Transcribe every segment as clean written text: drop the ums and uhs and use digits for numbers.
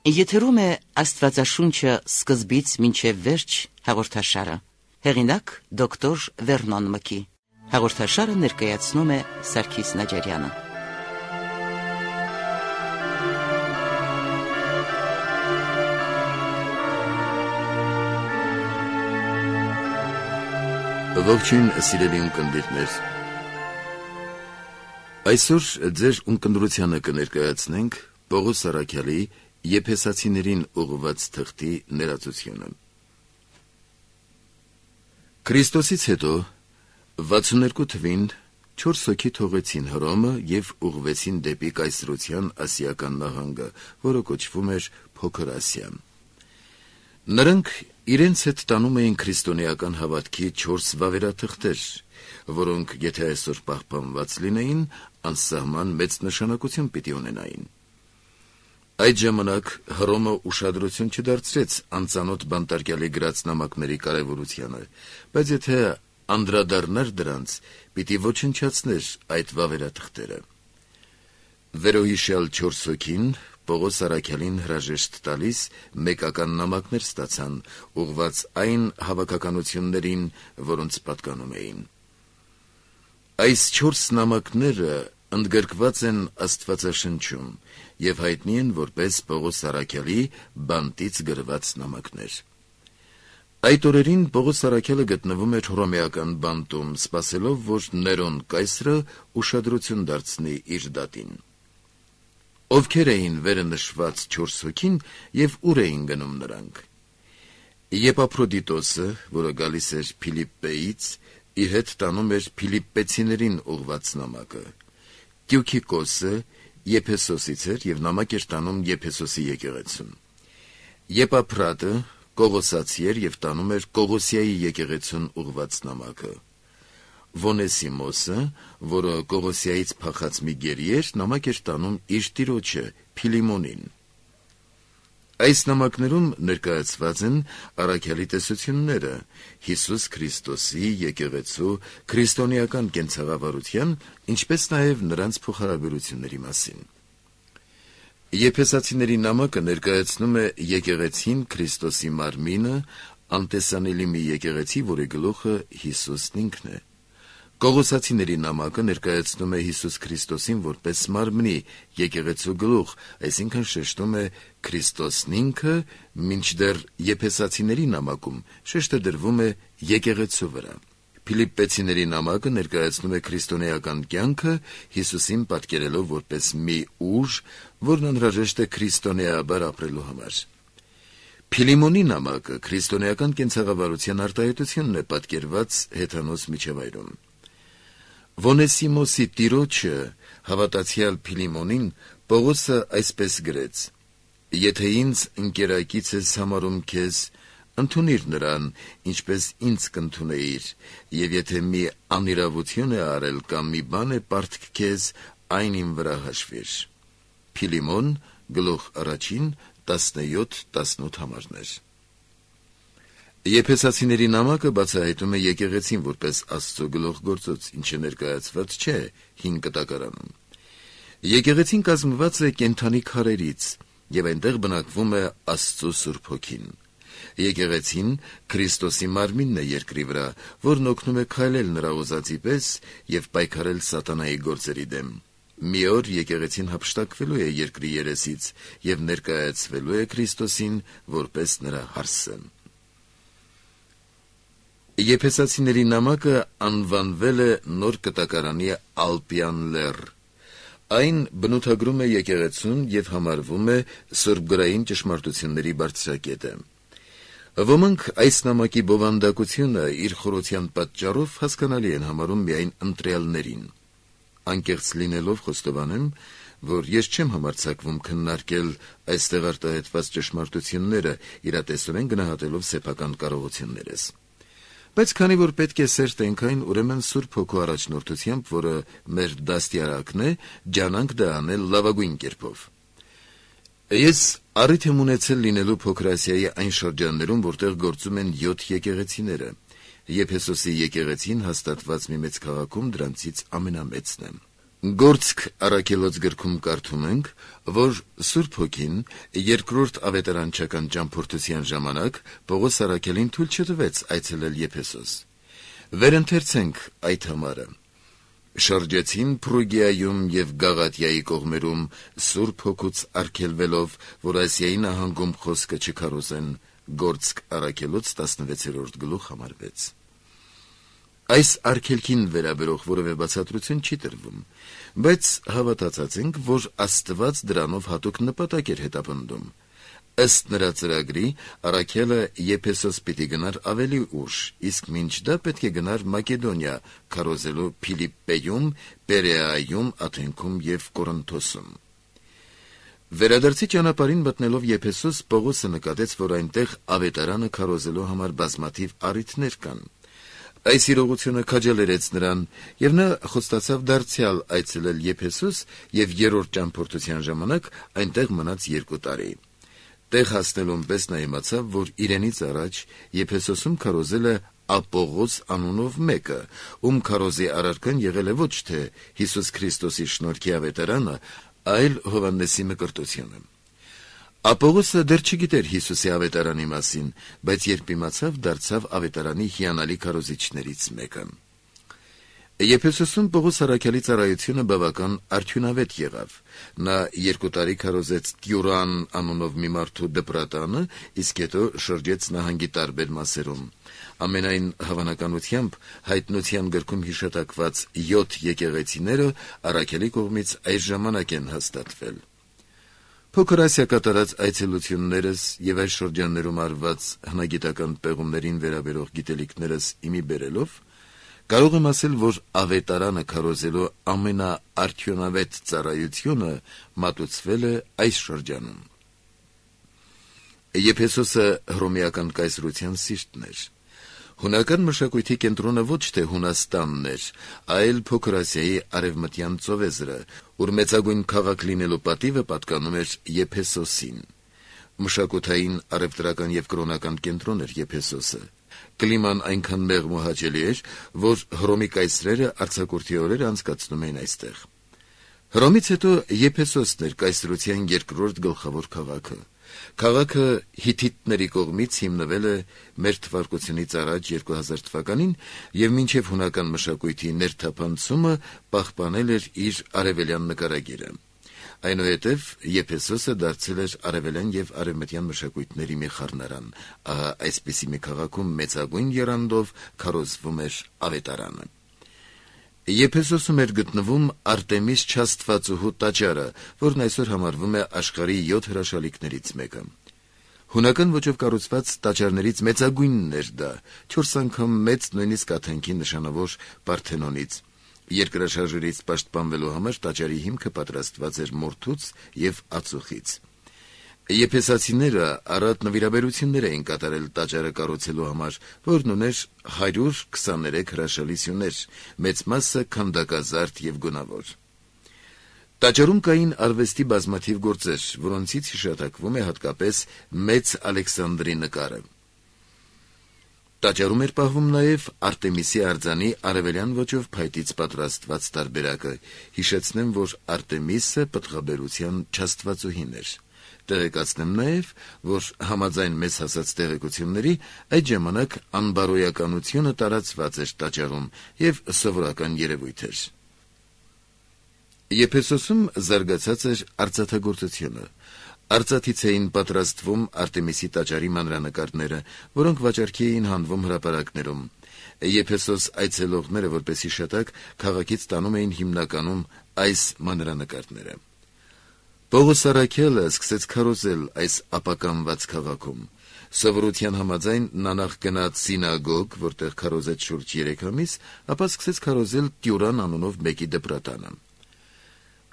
Եթերում է Աստվածաշունչը սկզբից մինչև վերջ հաղորդաշարը։ Հեղինակ դոկտոր Վերնոն Մկի։ Հաղորդաշարը ներկայացնում է Սարգիս Նաջարյանը։ Ողջույն սիրելի ունկնդիրներ։ Այսօր ձեր ունկնդրությանը կներկայացնենք Պողոս Առաքյալի Եփեսացիներին ուղղված թղթի ներածությունը։ Քրիստոսից հետո 62 թվին 4 հոգի թողեցին Հռոմը եւ ուղղվեցին դեպի կայսրության ասիական նահանգը, որը կոչվում էր Փոքր Ասիա։ Նրանք իրենց հետ տանում էին քրիստոնեական հավատքի 4 վավերաթղթեր, որոնք, եթե այսօր պահպանված լինեին, անսահման մեծ նշանակություն պիտի ունենային։ Այդ ժամանակ Հռոմը ուշադրություն չդարձրեց անծանոթ բանտարկյալի գրած նամակների կարևորությանը, բայց եթե անդրադառնար դրանց, պիտի ոչնչացներ այդ վավերաթղթերը։ Վերոհիշյալ 4 հոգին Պողոս Առաքյալին հրաժեշտ տալիս մեկական նամակներ ստացան, ուղղված այն հավաքականություններին, որոնց պատկանում էին։ Այս 4 նամակները ընդգրկված են Աստվածաշնչում եւ հայտնի են որպես Պողոս Առաքյալի բանտից գրված նամակներ։ Այդ օրերին Պողոս Առաքյալը գտնվում էր հռոմեական բանտում, սպասելով, որ Ներոն կայսրը ուշադրություն դարձնի իր դատին։ Ովքեր էին վերը նշված 4 հոգին եւ ուր էին գնում նրանք։ Եփափրոդիտոսը, որը գալիս էր Փիլիպպեից, իր հետ տանում էր Փիլիպպեցիներին ուղված նամակը։ Տյուքիկոսը Եփեսոսից էր եւ նամակ էր տանում Եփեսոսի եկեղեցուն։ Եփափրատը Կողոսացի էր եւ տանում էր Կողոսիայի եկեղեցուն ուղված նամակը։ Վոնեսիմոսը, որը Կողոսիայից փախած մի գերի էր, նամակ էր տանում իր տիրոջը Փիլիմոնին։ Այս նամակներում ներկայացված են առաքյալի տեսությունները Հիսուս Քրիստոսի եկեղեցու քրիստոնեական կենցաղավարության, ինչպես նաև նրանց փոխհարաբերությունների մասին։ Եփեսացիների նամակը ներկայացնում է եկեղեցին Քրիստոսի մարմինը, անտեսանելի մի եկեղեցի, որի գլուխը Հիսուսն ինքն է։ Կողոսացիների նամակը ներկայացնում է Հիսուս Քրիստոսին որպես մարմնի եկեղեցու գլուխ, այսինքն շեշտում է Քրիստոսն ինքը, մինչդեռ Եփեսացիների նամակում շեշտը դրվում է եկեղեցու վրա։ Փիլիպպեցիների նամակը ներկայացնում է քրիստոնեական կյանքը, Հիսուսին պատկերելով որպես մի ուժ, որն անհրաժեշտ է քրիստոնեաբար ապրելու համար։ Փիլիմոնի նամակը քրիստոնեական կենցաղավարության արտահայտությունն է պատկերված հեթանոս միջավայրում։ Վոնեսիմոսի տիրոջը հավատացյալ Փիլիմոնին Պողոսը այսպես գրեց. «Եթե ինձ ընկերակից ես համարում քեզ, ընդունիր նրան, ինչպես ինձ կընդունեիր, եւ եթե մի անիրավություն է արել կամ մի բան է պարտք քեզ, այն իմ վրա հաշվիր»։ Փիլիմոն, գլուխ 1, 17-18 համարներ։ Եփեսացիների նամակը բացահայտում է եկեղեցին որպես Աստծո գլուխգործոց, ինչը ներկայացված չէ 5 կտակարանում։ Եկեղեցին կազմված է կենդանի քարերից, եւ այնտեղ բնակվում է Աստծո Սուրբ Հոգին։ Եկեղեցին Քրիստոսի մարմինն է երկրի վրա, որն օգնում է քայլել նրա ուզածի պես եւ պայքարել սատանայի գործերի դեմ։ Մի օր եկեղեցին հափշտակվելու է երկրի երեսից եւ ներկայացվելու է Քրիստոսին որպես նրա հարսը։ Եփեսացիների նամակը անվանվել է նոր կտակարանի Ալպյան լեռ։ Այն բնութագրում է եկեղեցուն եւ համարվում է սուրբգրային ճշմարտությունների բարձրակետը։ Ոմանք այս նամակի բովանդակությունը իր խորության պատճառով հասկանալի են համարում միայն ընտրյալներին։ Անկեղծ լինելով խոստովանեմ, որ ես չեմ համարձակվում քննարկել այստեղ արտահայտված ճշմարտությունները, իրատեսորեն գնահատելով սեփական կարողություններս։ Բայց քանի որ պետք է սեր տենք այն, ուրեմն Սուրբ Հոգու առաջնորդությամբ, որը մեր դաստիարակն է, ջանանք դա անել լավագույն կերպով։ Ես առիթ եմ ունեցել լինելու Փոքր Ասիայի այն շրջաններում, որտեղ գործում են 7 եկեղեցիները։ Եփեսոսի եկեղեցին հաստատված մի մեծ քաղաքում դրանցից ամենամեծն է։ Գործք առաքելոց գրքում կարդում ենք, որ Սուրբ Հոգին երկրորդ ավետարանչական ճամփորդության ժամանակ Պողոս առաքելին թույլ չտվեց այցելել Եփեսոս։ Վերընթերցենք այդ համարը։ Շրջեցին Փրուգիայում եւ Գաղատիայի կողմերում Սուրբ Հոգուց արգելվելով, որ Ասիայի նահանգում խոսքը չքարոզեն, Գործք առաքելոց 16-րդ գլուխ համար 6։ Այս արգելքին վերաբերող որևէ բացատրություն չի տրվում, բայց հավատացած ենք, որ Աստված դրանով հատուկ նպատակ էր հետապնդում։ Ըստ նրա ծրագրի, առաքելը Եփեսոս պիտի գնար ավելի ուշ, իսկ մինչ դա պետք է գնար Մակեդոնիա, քարոզելու Փիլիպպեում, Պերեայում, Աթենքում եւ Կորինթոսում։ Վերադարձի ճանապարհին մտնելով Եփեսոս, Պողոսը նկատեց, որ այնտեղ ավետարանը քարոզելու համար բազմաթիվ առիթներ կան։ Այս իրողությունը քաջալերեց նրան, եւ նա խոստացավ դարձյալ այցելել Եփեսոս եւ երրորդ ճամփորդության ժամանակ այնտեղ մնաց 2 տարի։ Տեղ հասնելուն պես նա իմացավ, որ իրենից առաջ Եփեսոսում քարոզել է Ապողոս անունով մեկը, ում քարոզի առարկան եղել է ոչ թե Հիսուս Քրիստոսի շնորհքի ավետարանը, այլ Հովհաննեսի մկրտությունը։ Ապողոսը դեռ չգիտեր Հիսուսի ավետարանի մասին, բայց երբ իմացավ, դարձավ ավետարանի հիանալի քարոզիչներից մեկը։ Եփեսոսում Պողոս առաքյալի ծառայությունը բավական արդյունավետ եղավ։ Նա 2 տարի քարոզեց Տյուրան անունով մի մարդու դպրատանը, իսկ հետո շրջեց նահանգի տարբեր մասերում։ Ամենայն հավանականությամբ հայտնության գրքում հիշատակված 7 եկեղեցիները առաքյալի կողմից այս ժամանակ են հաստատվել։ Փոքր Ասիա կատարած այցելություններս եւ այս շրջաններում արված հնագիտական պեղումներին վերաբերող գիտելիքներս իմի բերելով կարող եմ ասել, որ ավետարանը քարոզելու ամենաարդյունավետ ծառայությունը մատուցվել է այս շրջանում։ Եփեսոսը հռոմեական կայսրության սիրտն էր։ Հունական մշակույթի կենտրոնը ոչ թե Հունաստանն էր, այլ Փոքր Ասիայի արևմտյան ծովեզրը, ուր մեծագույն քաղաք լինելու պատիվը պատկանում էր Եփեսոսին։ Մշակութային, առևտրական եւ կրոնական կենտրոն էր Եփեսոսը։ Կլիման այնքան մեղմ ու հաճելի էր, որ Հռոմի կայսրերը արձակուրդի օրեր անցկացնում էին այստեղ։ Հռոմից հետո Եփեսոսն էր կայսրության երկրորդ գլխավոր քաղաքը։ Քաղաքը հիթիթների կողմից հիմնվել է մեր թվարկությունից առաջ 2000 թվականին եւ մինչեւ հունական մշակույթի ներթափանցումը պահպանել էր իր արևելյան նկարագիրը։ Այնուհետև Եփեսոսը դարձել էր արևելյան եւ արևմտյան մշակույթների մի խառնարան։ Ահա այսպիսի մի քաղաքում մեծագույն եռանդով քարոզվում էր ավետարանը։ Եփեսոսում էր գտնվում Արտեմիս Չաստվածուհու տաճարը, որն այսօր համարվում է աշխարհի 7 հրաշալիքներից մեկը։ Հունական ոճով կառուցված տաճարներից մեծագույնն էր դա, 4 անգամ մեծ, նույնիսկ Աթենքի նշանավոր Պարթենոնից։ Երկրաշարժերից պաշտպանվելու համար տաճարի հիմքը պատրաստված էր մորթուց եւ ածուխից։ Եփեսացիները առատ նվիրաբերություններ էին կատարել տաճարը կառուցելու համար, որն ուներ 123 հրաշալի սյուներ, մեծ մասը քանդակազարդ եւ գունավոր։ Տաճարում կային արվեստի բազմաթիվ գործեր, որոնցից հիշատակվում է հատկապես Մեծ Ալեքսանդրի նկարը։ Տաճարում էր պահվում նաև Արտեմիսի արձանի արևելյան ոճով փայտից պատրաստված տարբերակը։ Հիշեցնեմ, որ Արտեմիսը պտղաբերության չաստվածուհին էր։ Տեղեկացնեմ նաև, որ համաձայն մեզ հասած տեղեկությունների, այդ ժամանակ անբարոյականությունը տարածված էր տաճարում եւ սովորական երևույթ էր։ Եփեսոսում զարգացած էր արծաթագործությունը։ Արծաթից էին պատրաստվում Արտեմիսի տաճարի մանրանկարները, որոնք վաճառքի էին հանվում հրապարակներում։ Եփեսոս այցելողները, որպես հիշատակ, քաղաքից տանում էին հիմնականում այս մանրանկարները։ Պողոս առաքյալը սկսեց քարոզել այս ապականված քաղաքում։ Սովորության համաձայն նա նախ գնաց սինագոգ, որտեղ քարոզեց շուրջ 3 ամիս, ապա սկսեց քարոզել Տյուրան անունով մեկի դպրատանը։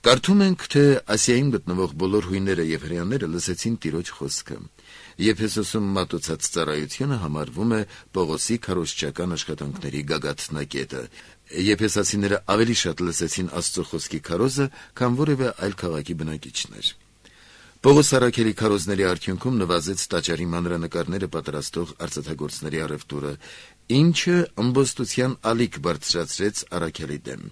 Կարդում ենք, թե Ասիայում գտնվող բոլոր հույները եւ հրեաները լսեցին Տիրոջ խոսքը։ Եփեսոսում մատուցած ծառայությունը համարվում է Պողոսի քարոզչական աշխատանքների գագաթնակետը։ Եփեսացիները ավելի շատ լսեցին Աստծո խոսքի քարոզը, քան որևէ այլ քաղաքի բնակիչներ։ Պողոս առաքյալի քարոզների արդյունքում նվազեց տաճարի մանրանկարները պատրաստող արծաթագործների առևտուրը, ինչը ըմբոստության ալիք բարձրացրեց առաքյալի դեմ։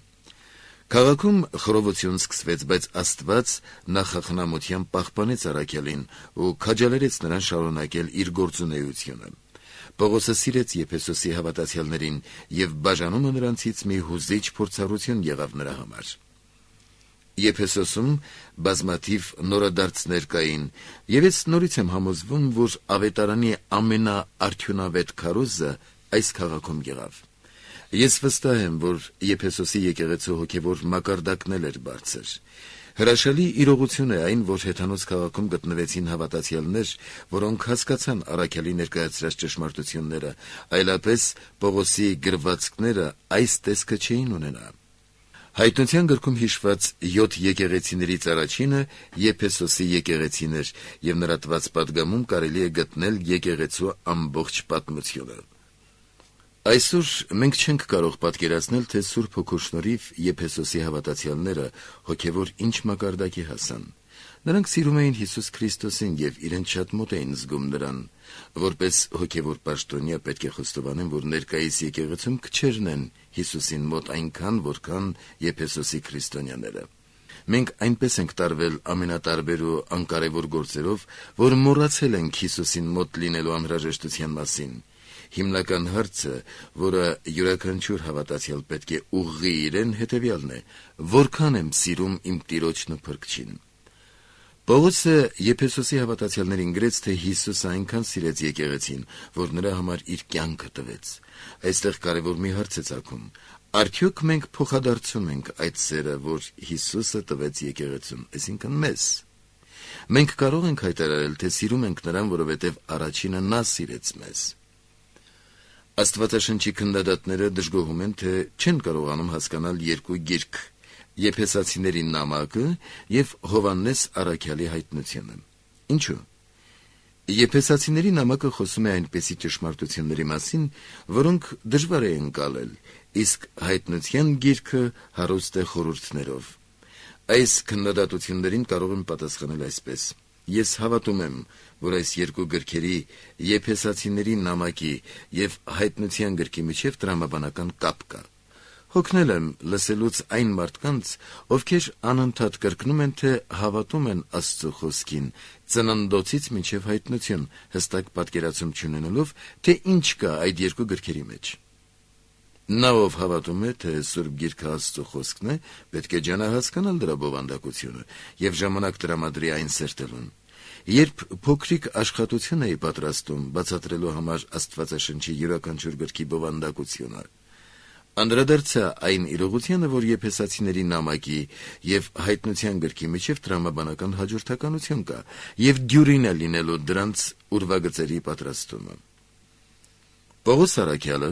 Քաղաքում խռովություն սկսվեց, բայց Աստված նախախնամությամբ պահպանեց Առաքելին ու քաջալերեց նրան շարունակել իր գործունեությունը։ Պողոսը սիրեց Եփեսոսի հավատացյալներին եւ բաժանումը նրանցից մի հուզիչ փորձառություն եղավ նրա համար։ Եփեսոսում բազմաթիվ նորադարձներ կային, եւ ես նորից եմ համոզվում, որ ավետարանի ամենաարդյունավետ քարոզը այս քաղաքում եղավ։ Ես վստահ եմ, որ Եփեսոսի եկեղեցու հոգևոր մակարդակն էր բարձր։ Հրաշալի իրողություն է այն, որ հեթանոց քաղաքում գտնվեցին հավատացյալներ, որոնք հասկացան Առաքելի ներկայացրած ճշմարտությունները, այլապես Պողոսի գրվածքները այս տեսքը չէին ունենա։ Հայտնության գրքում հիշված 7 եկեղեցիներից առաջինը Եփեսոսի եկեղեցին էր, եւ նրա տված պատգամում կարելի է գտնել եկեղեցու ամբողջ պատմությունը։ Այսօր մենք չենք կարող պատկերացնել, թե Սուրբ Հոգու շնորհիվ Եփեսոսի հավատացյալները հոգևոր ինչ մակարդակի հասան։ Նրանք սիրում էին Հիսուս Քրիստոսին եւ իրենց շատ մոտ էին զգում նրան։ Որպես հոգևոր պաշտոնյա պետք է խոստովանեմ, որ ներկայիս եկեղեցում քչերն են Հիսուսին մոտ այնքան, որքան Եփեսոսի քրիստոնյաները։ Մենք այնպես ենք տարվել ամենատարբեր ու անկարևոր գործերով, որ մոռացել ենք Հիսուսին մոտ լինելու անհրաժեշտության մասին։ Հիմնական հարցը, որը յուրաքանչյուր հավատացյալ պետք է ուղղի իրեն, հետևյալն է. որքան եմ սիրում իմ Տիրոջն ու Փրկչին։ Պողոսը Եփեսոսի հավատացյալներին գրեց, թե Հիսուսը այնքան սիրեց եկեղեցին, որ նրա համար իր կյանքը տվեց։ Այստեղ կարևոր մի հարց է ծագում. արդյոք մենք փոխադարձում ենք այդ սերը, որ Հիսուսը տվեց եկեղեցուն, այսինքն մեզ։ Մենք կարող ենք հայտարարել, թե սիրում ենք նրան, որովհետև առաջինը նա սիրեց մեզ։ Աստվածաշնչի քննադատները դժգոհում են, թե չեն կարողանում հասկանալ երկու գիրք՝ Եփեսացիների նամակը եւ Հովհաննես առաքյալի հայտնությունը։ Ինչու՞։ Եփեսացիների նամակը խոսում է այնպիսի ճշմարտությունների մասին, որոնք դժվար է ընկալել, իսկ հայտնության գիրքը հարուստ է խորհուրդներով։ Այս քննադատություններին կարող եմ պատասխանել այսպես. Ես հավատում եմ, որ այս երկու գրքերի Եփեսացիների նամակի եւ հայտնության գրքի միջև տրամաբանական կապ կա։ Հոգնել եմ լսելուց այն մարդկանց, ովքեր անընդհատ կրկնում են, թե հավատում են Աստծո խոսքին, ծննդոցից մինչև հայտնություն, հստակ պատկերացում չունենալով, թե ինչ կա այդ երկու գրքերի մեջ։ Նա, ով հավատում է, թե Սուրբ Գիրքը Աստծո խոսքն է, պետք է ջանահասկանալ դրա բովանդակությունը եւ ժամանակ տրամադրի այն սերտելուն։ Երբ փոքրիկ աշխատություն էի պատրաստում բացատրելու համար Աստվածաշնչի յուրաքանչյուր գրքի բովանդակությունը, անդրադարձա այն իրողությանը, որ Եփեսացիների նամակի եւ հայտնության գրքի միջև տրամաբանական հաջորդականություն կա եւ դյուրին է լինելու դրանց ուրվագծերի պատրաստումը։ Պողոս առաքյալը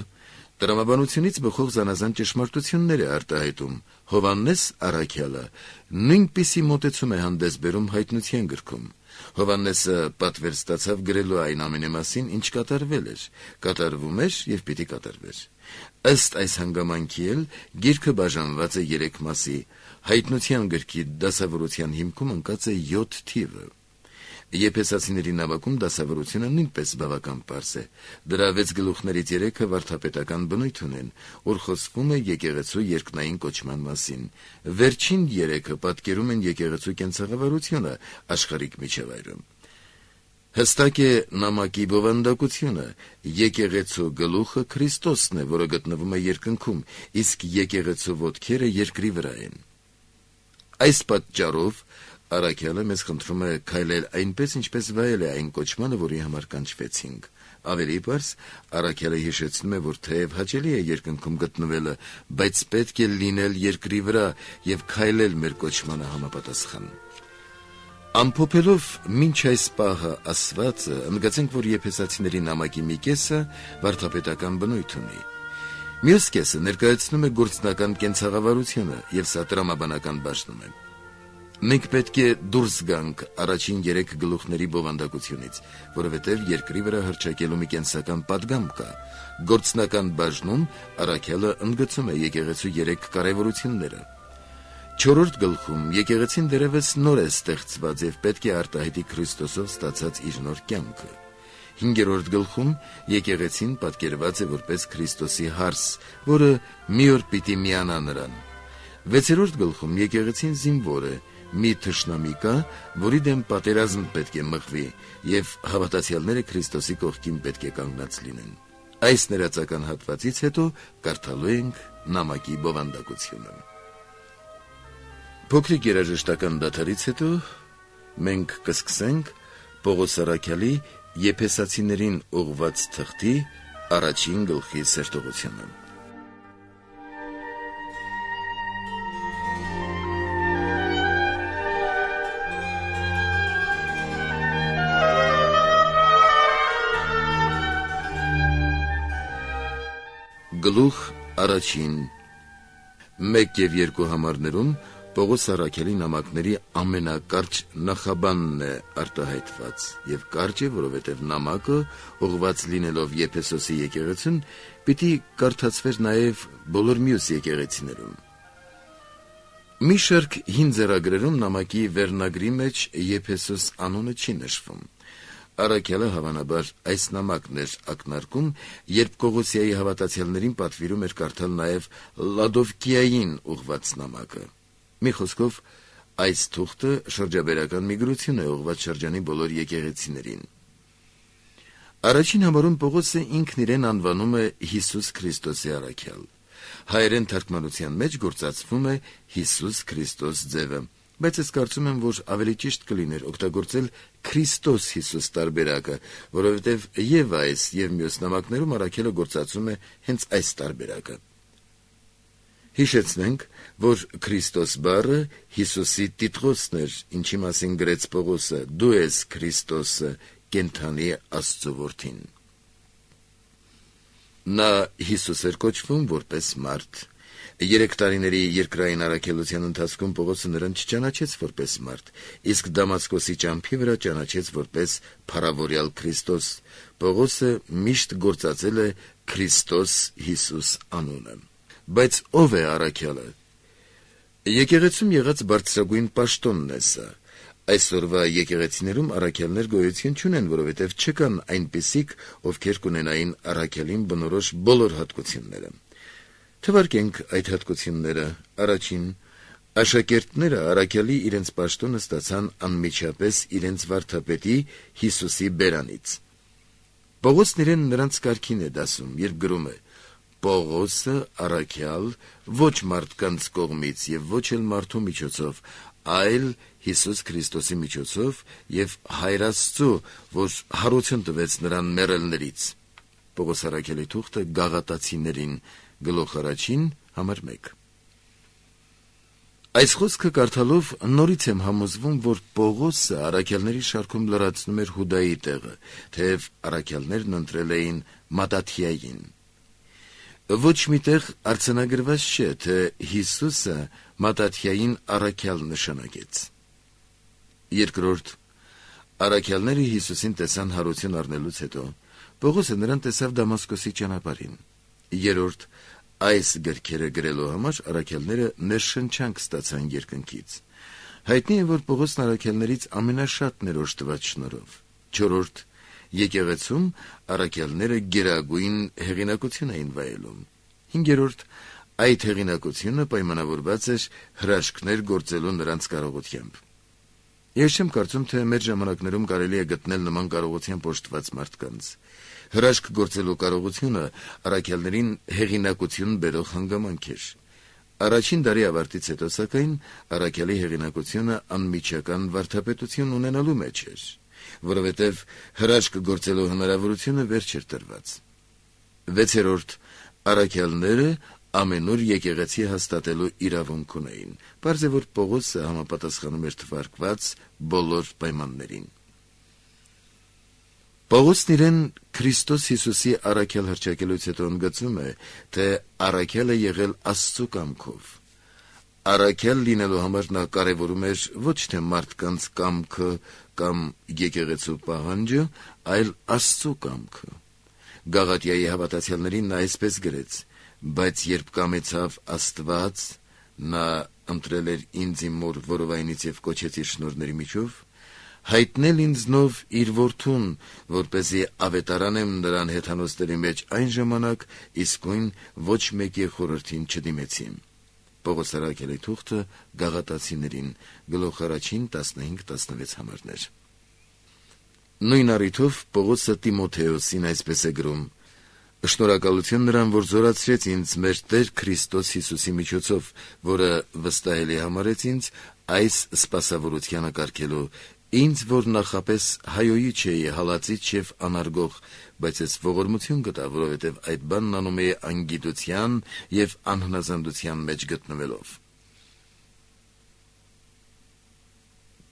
տրամաբանությունից բխող զանազան ճշմարտություններ է արտահայտում։ Հովհաննես առաքյալը նույնպիսի մոտեցում է հանդես բերում հայտնության գրքում։ Հովհաննեսը պատվեր ստացավ գրելու այն ամենի մասին, ինչ կատարվել էր, կատարվում էր եւ պիտի կատարվեր։ Ըստ այս հանգամանքի էլ գիրքը բաժանված է 3 մասի։ Հայտնության գրքի դասավորության հիմքում ընկած է 7 թիվը։ Եփեսացիների նամակում դասավորությունը նույնպես բավական պարզ է։ Դրա 6 գլուխներից 3-ը վարդապետական բնույթ ունեն, որ խոսվում է եկեղեցու երկնային կոչման մասին։ Վերջին 3-ը պատկերում են եկեղեցու կենցաղավարությունը աշխարհիկ միջավայրում։ Հստակ է նամակի բովանդակությունը։ Եկեղեցու գլուխը Քրիստոսն է, որը գտնվում է երկնքում, իսկ եկեղեցու ոտքերը երկրի վրա են։ Այս պատճառով առաքյալը մեզ խնդրում է քայլել այնպես, ինչպես վայել է այն կոչմանը, որի համար կանչվեցինք։ Ավելի պարզ, առաքյալը հիշեցնում է, որ թեև հաճելի է երկնքում գտնվելը, բայց պետք է լինել երկրի վրա եւ քայլել մեր կոչմանը համապատասխան։ Ամփոփելով մինչ այս պահը ասվածը, ընդգծենք, որ Եփեսացիների նամակի մի կեսը վարդապետական բնույթ ունի։ Մյուս կեսը ներկայացնում է գործնական կենցաղավարությունը եւ սա տրամաբանական բաժնում է։ Մենք պետք է դուրս գանք առաջին 3 գլուխների բովանդակությունից, որովհետև երկրի վրա հռչակելու մի կենսական պատգամ կա։ Գործնական բաժնում առաքյալը ընդգծում է եկեղեցու 3 կարևորությունները։ 4-րդ գլխում եկեղեցին դեռևս նոր է ստեղծված եւ պետք է արտահայտի Քրիստոսով ստացած իր նոր կյանքը։ 5-րդ գլխում եկեղեցին պատկերված է որպես Քրիստոսի հարս, որը մի օր պիտի միանա նրան։ 6-րդ գլխում եկեղեցին զինվոր է, մի թշնամի կա, որի դեմ պատերազմ պետք է մղվի, եւ հավատացյալները Քրիստոսի կողքին պետք է կանգնած լինեն։ Այս ներածական հատվածից հետո կարդալու ենք նամակի բովանդակությունը։ Փոքրիկ երաժշտական դադարից հետո մենք կսկսենք Պողոս Առաքյալի Եփեսացիներին ուղղված թղթի 1 գլխի սերտողությունը։ Գլուխ 1 1 եւ 2 համարներում Պողոս Առաքյալի նամակների ամենակարճ նախաբանն է արտահայտված, եւ կարճ է, որովհետեւ նամակը ուղղված լինելով Եփեսոսի եկեղեցուն, պիտի կարդացվեր նաեւ բոլոր մյուս եկեղեցիներում։ Մի շարք հին ձեռագրերում նամակի վերնագրի մեջ Եփեսոս անունը չի նշվում։ Առաքյալը հավանաբար այս նամակն էր ակնարկում, երբ Կողոսիայի հավատացյալներին պատվիրում էր կարդալ նաեւ Լադովկիային ուղղված նամակը։ Մի խոսքով, այս թուղթը շրջաբերական միգրություն է ուղղված շրջանի բոլոր եկեղեցիներին։ Առաջին համարում Պողոսը ինքն իրեն անվանում է Հիսուս Քրիստոսի առաքյալ։ Հայերեն թարգմանության մեջ գործածվում է Հիսուս Քրիստոս ձևը, բայց ես կարծում եմ, որ ավելի ճիշտ կլիներ օգտագործել Քրիստոս Հիսուս տարբերակը, որովհետև եւ այս եւ մյուս նամակներում առաքյալը գործածում է հենց այս տարբերակը։ Հիշեցնենք, որ Քրիստոս բառը Հիսուսի տիտղոսն էր, ինչի մասին գրեց Պողոսը. «Դու ես Քրիստոսը, կենդանի Աստծո որդին»։ Նա Հիսուս էր կոչվում որպես մարդ։ 3 տարիների երկրային առաքելության ընթացքում Պողոսը նրան չճանաչեց որպես մարդ, իսկ Դամասկոսի ճամփի վրա ճանաչեց որպես փառավորյալ Քրիստոս։ Պողոսը միշտ գործածել է Քրիստոս Հիսուս անունը։ Բայց ով է առաքյալը։ Եկեղեցում եղած բարձրագույն պաշտոնն է սա։ Այսօրվա եկեղեցիներում առաքյալներ գոյություն չունեն, որովհետև չկան այնպիսիք, ովքեր կունենային առաքյալին բնորոշ բոլոր հատկությունները։ Թվարկենք այդ հատկությունները։ Առաջին, աշակերտները առաքյալի իրենց պաշտոնը ստացան անմիջապես իրենց վարդապետի Հիսուսի բերանից։ Պողոսն իրեն նրանց կարգին է դասում, երբ գրում է. «Պողոսը առաքյալ ոչ մարդկանց կողմից եւ ոչ էլ մարդու միջոցով, այլ Հիսուս Քրիստոսի միջոցով եւ Հայր Աստծո, որ հարություն տվեց նրան մեռելներից»։ Պողոս առաքյալի թուղթը Գաղատացիներին, գլուխ 1, համար 1։ Այս խոսքը կարդալով նորից եմ համոզվում, որ Պողոսը առաքյալների շարքում լրացնում էր Հուդայի տեղը, թեև առաքյալներն ընտրել էին Մատաթիային։ Ոչ միտեղ արձանագրված չէ, թե Հիսուսը Մատաթիային առաքյալ նշանակեց։ Երկրորդ, առաքյալները Հիսուսին տեսան հարություն առնելուց հետո, Պողոսը նրան տեսավ Դամասկոսի ճանապարհին։ Երրորդ, այս գրքերը գրելու համար առաքյալները ներշնչանք ստացան երկնքից։ Հայտնի է, որ Պողոսն առաքյալներից ամենաշատն էր օժտված շնորհով։ Չորրորդ, եկեղեցում առաքյալները գերագույն հեղինակություն էին վայելում։ Հինգերորդ, այդ հեղինակությունը պայմանավորված էր հրաշքներ գործելու նրանց կարողությամբ։ Ես չեմ կարծում, թե մեր ժամանակներում կարելի է գտնել նման կարողությամբ օժտված մարդկանց։ Հրաշք գործելու կարողությունը առաքյալներին հեղինակություն բերող հանգամանք էր։ Առաջին դարի ավարտից հետո, սակայն, առաքյալի հեղինակությունը անմիջական վարդապետություն ունենալու մեջ էր, որովհետև հրաշք գործելու հնարավորությունը վերջ էր տրված։ Վեցերորդ, առաքյալները ամենուր եկեղեցի հաստատելու իրավունք ունեին։ Պարզ է, որ Պողոսը համապատասխանում էր թվարկված բոլոր պայմաններին։ Պողոսն իրեն Քրիստոս Հիսուսի առաքյալ հռչակելուց հետո ընդգծում է, թե առաքյալ է եղել Աստծո կամքով։ Առաքյալ լինելու համար նա կարևորում էր ոչ թե մարդկանց կամքը կամ եկեղեցու պահանջը, այլ Աստծո կամքը։ Գաղատիայի հավատացյալներին նա այսպես գրեց. «Բայց երբ կամեցավ Աստված, նա ընտրել էր ինձ իմ մոր որովայնից եւ կոչեց իր շնորհների միջով, հայտնել ինձնով իր որդուն, որպեսզի ավետարանեմ նրան հեթանոսների մեջ այն ժամանակ, իսկույն ոչ մեկի խորհրդին չդիմեցի»։ Պողոս Արաքելի թուղթը Գաղատացիներին, գլուխ 1, 15-16 համարներ։ Նույն առիթով Պողոսը Տիմոթեոսին այսպես է գրում. «Շնորհակալություն նրան, որ զորացրեց ինձ մեր Տեր Քրիստոս Հիսուսի միջոցով, որը վստահելի համարեց ինձ այս սպասավորությանը կարգելու, ինձ, որ նախապես հայոյի չէի, հալածիչ և անարգող, բայց ես ողորմություն գտա, որովհետև այդ բանն անում էի անգիտության և անհնազանդության մեջ գտնվելով»։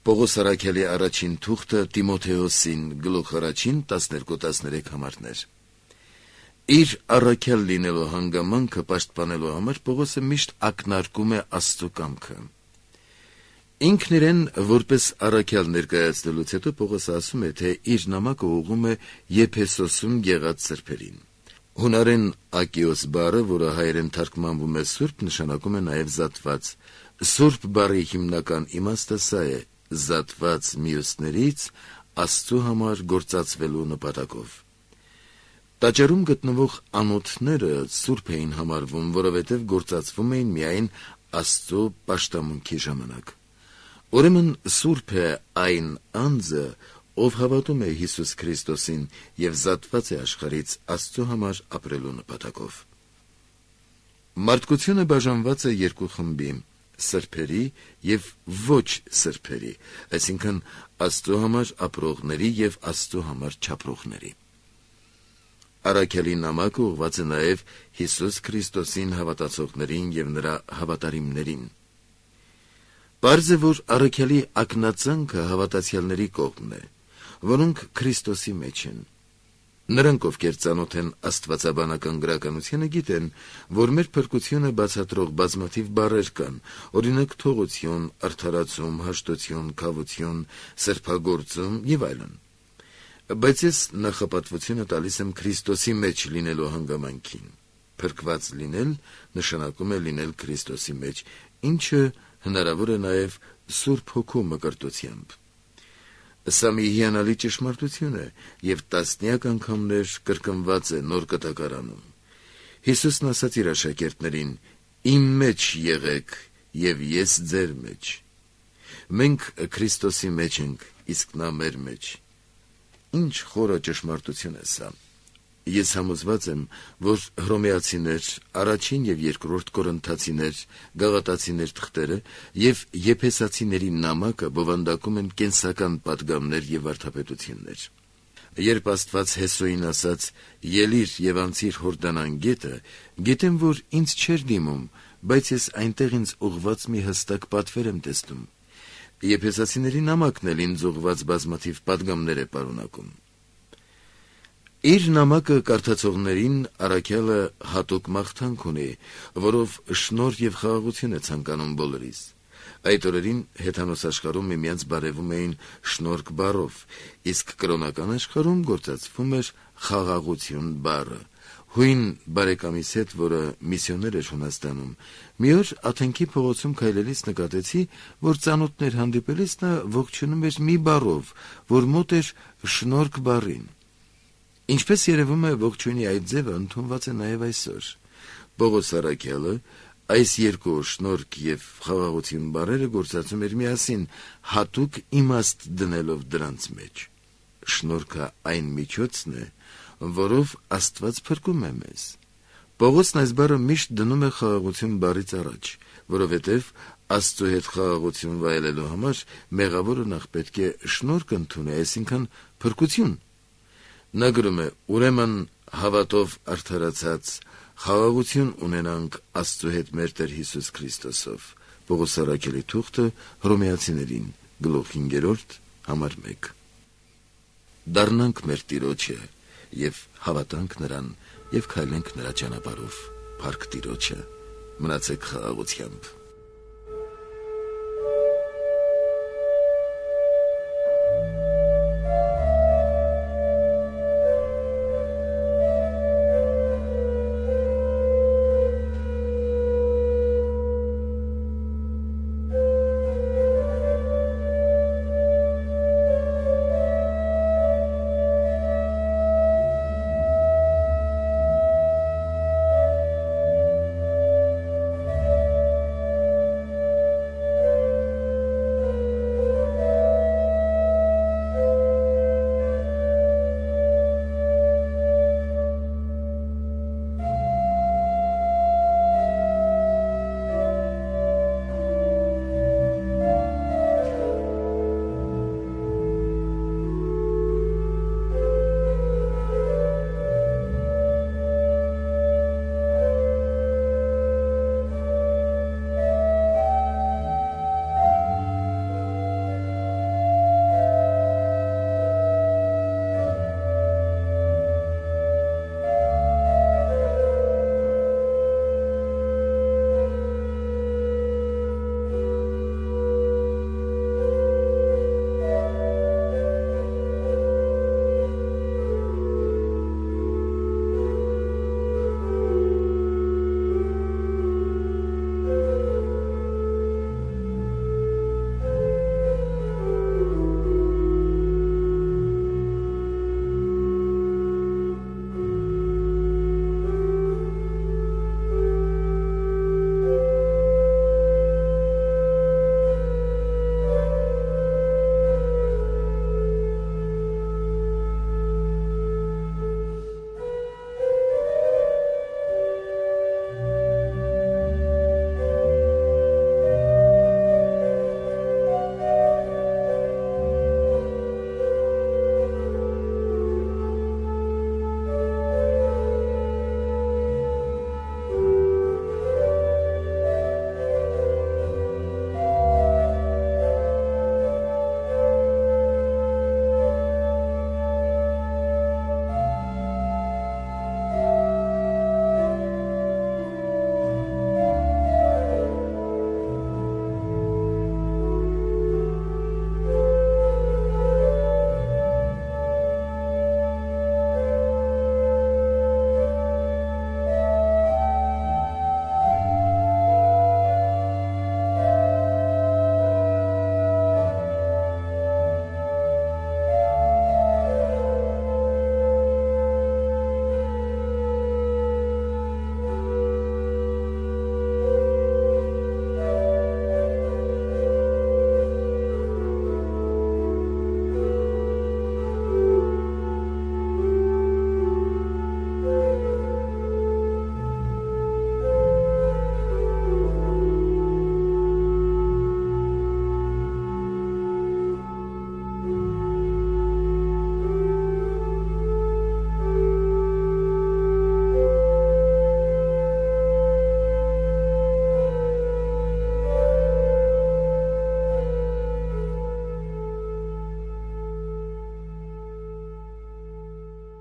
Պողոս Արաքելի առաջին թուղթը Տիմոթեոսին, գլուխ 1, 12-13 համարներ։ Իր առաքյալ լինելու հանգամանքը պաշտպանելու համար Պողոսը միշտ ակնարկում է Աստծո կամքը։ Ինքն իրեն որպես առաքյալ ներկայացնելուց հետո Պողոսը ասում է, թե իր նամակը ուղղում է Եփեսոսում եղած սրբերին։ Հունարեն ակիոս բառը, որը հայերեն թարգմանվում է սուրբ, նշանակում է նաև զատված։ Սուրբ բառի հիմնական իմաստը սա է՝ զատված մյուսներից Աստծո համար գործածվելու նպատակով։ Տաճարում գտնվող անոթները սուրբ էին համարվում, որովհետև գործածվում էին միայն Աստծո պաշտամունքի ժամանակ։ Ուրեմն սուրբ է այն անձը, ով հավատում է Հիսուս Քրիստոսին և զատված է աշխարհից Աստծո համար ապրելու նպատակով։ Մարդկությունը բաժանված է երկու խմբի՝ սրբերի և ոչ սրբերի, այսինքն Աստծո համար ապրողների և Աստծո համար չապրողների։ Առաքյալի նամակը ուղղված է նաև Հիսուս Քրիստոսին հավատացողներին և նրա հավատարիմներին։ Պարզ է, որ առաքյալի ակնածանքը հավատացյալների կողմն է, որոնք Քրիստոսի մեջ են։ Նրանք, ովքեր ծանոթ են աստվածաբանական գրականությանը, գիտեն, որ մեր փրկությունը բացատրող բազմաթիվ բառեր կան, օրինակ թողություն, արդարացում, հաշտություն, քավություն, սրբագործում և այլն։ Բայց ես նախապատվությունը տալիս եմ Քրիստոսի մեջ լինելու հանգամանքին։ Փրկված լինել նշանակում է լինել Քրիստոսի մեջ, ինչը հնարավոր է նաև Սուրբ Հոգու մկրտությամբ։ Սա մի հիանալի ճշմարտություն է և տասնյակ անգամներ կրկնված է Նոր Կտակարանում։ Հիսուսն ասաց իր աշակերտներին. «Իմ մեջ եղեք, և ես ձեր մեջ»։ Մենք Քրիստոսի մեջ ենք, իսկ նա մեր մեջ։ Ինչ խորը ճշմարտություն է սա։ Ես համոզված եմ, որ Հռոմեացիներ, առաջին և երկրորդ Կորինթացիներ, Գաղատացիներ թղթերը և Եփեսացիների նամակը բովանդակում են կենսական պատգամներ և վարդապետություններ։ Երբ Աստված Հեսոյին ասաց. «Ելիր և անցիր Հորդանան գետը», գիտեմ, որ ինձ չէր դիմում, բայց ես այնտեղ ինձ ուղղված մի հստակ պատվեր եմ տեսնում։ Եփեսացիների նամակն էլ ինձ ուղղված բազմաթիվ պատգամներ է պարունակում։ Իր նամակը կարդացողներին առաքյալը հատուկ մաղթանք ունի, որով շնորհ և խաղաղություն է ցանկանում բոլորիս։ Այդ օրերին հեթանոս աշխարհում միմյանց բարևում էին շնորհք բառով, իսկ կրոնական աշխարհում գործածվում էր խաղաղություն բառը։ Հույն բարեկամիս հետ, որը միսիոներ էր Հունաստանում, մի օր Աթենքի փողոցում քայլելիս նկատեցի, որ ծանոթներ հանդիպելիս նա ողջունում էր մի բառով, որ մոտ էր շնորհք բառին։ Ինչպես երևում է, ողջույնի այդ ձևը ընդունված է նաև այսօր։ Պողոս առաքյալը այս երկու շնորհք և խաղաղություն բառերը գործածում էր միասին, հատուկ իմաստ դնելով դրանց մեջ։ Շնորհքը այն միջոցն է, որով Աստված փրկում է մեզ։ Պողոսն այս բառը միշտ դնում է խաղաղություն բառից առաջ, որովհետև Աստծո հետ խաղաղություն վայելելու համար մեղավորը նախ պետք է շնորհք ընդունի, այսինքն փրկություն։ Նա գրում է. «Ուրեմն հավատով արդարացած խաղաղություն ունենանք Աստծո հետ մեր Տեր Հիսուս Քրիստոսով»։ Պողոս առաքյալի թուղթը Հռոմեացիներին, գլուխ 5, համար 1։ Դառնանք մեր Տիրոջը և հավատանք նրան և քայլենք նրա ճանապարհով։ Փառք Տիրոջը։ Մնացեք խաղաղությամբ։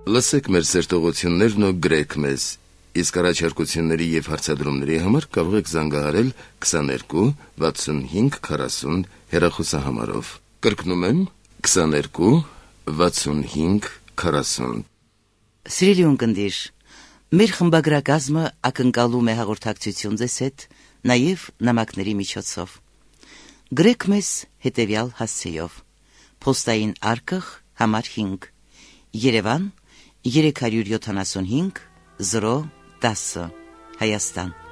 Լսեք մեր սերտողություններն ու գրեք մեզ։ Իսկ առաջարկությունների եւ հարցադրումների համար կարող եք զանգահարել 22 65 40 հեռախոսահամարով։ Կրկնում եմ 22 65 40։ Սիրելի ունկնդիր, մեր խմբագրակազմը ակնկալում է հաղորդակցություն ձեզ հետ նաև նամակների միջոցով։ Գրեք մեզ հետևյալ հասցեով. Փոստային արկղ համար 5 Երևան 375 010 Հայաստան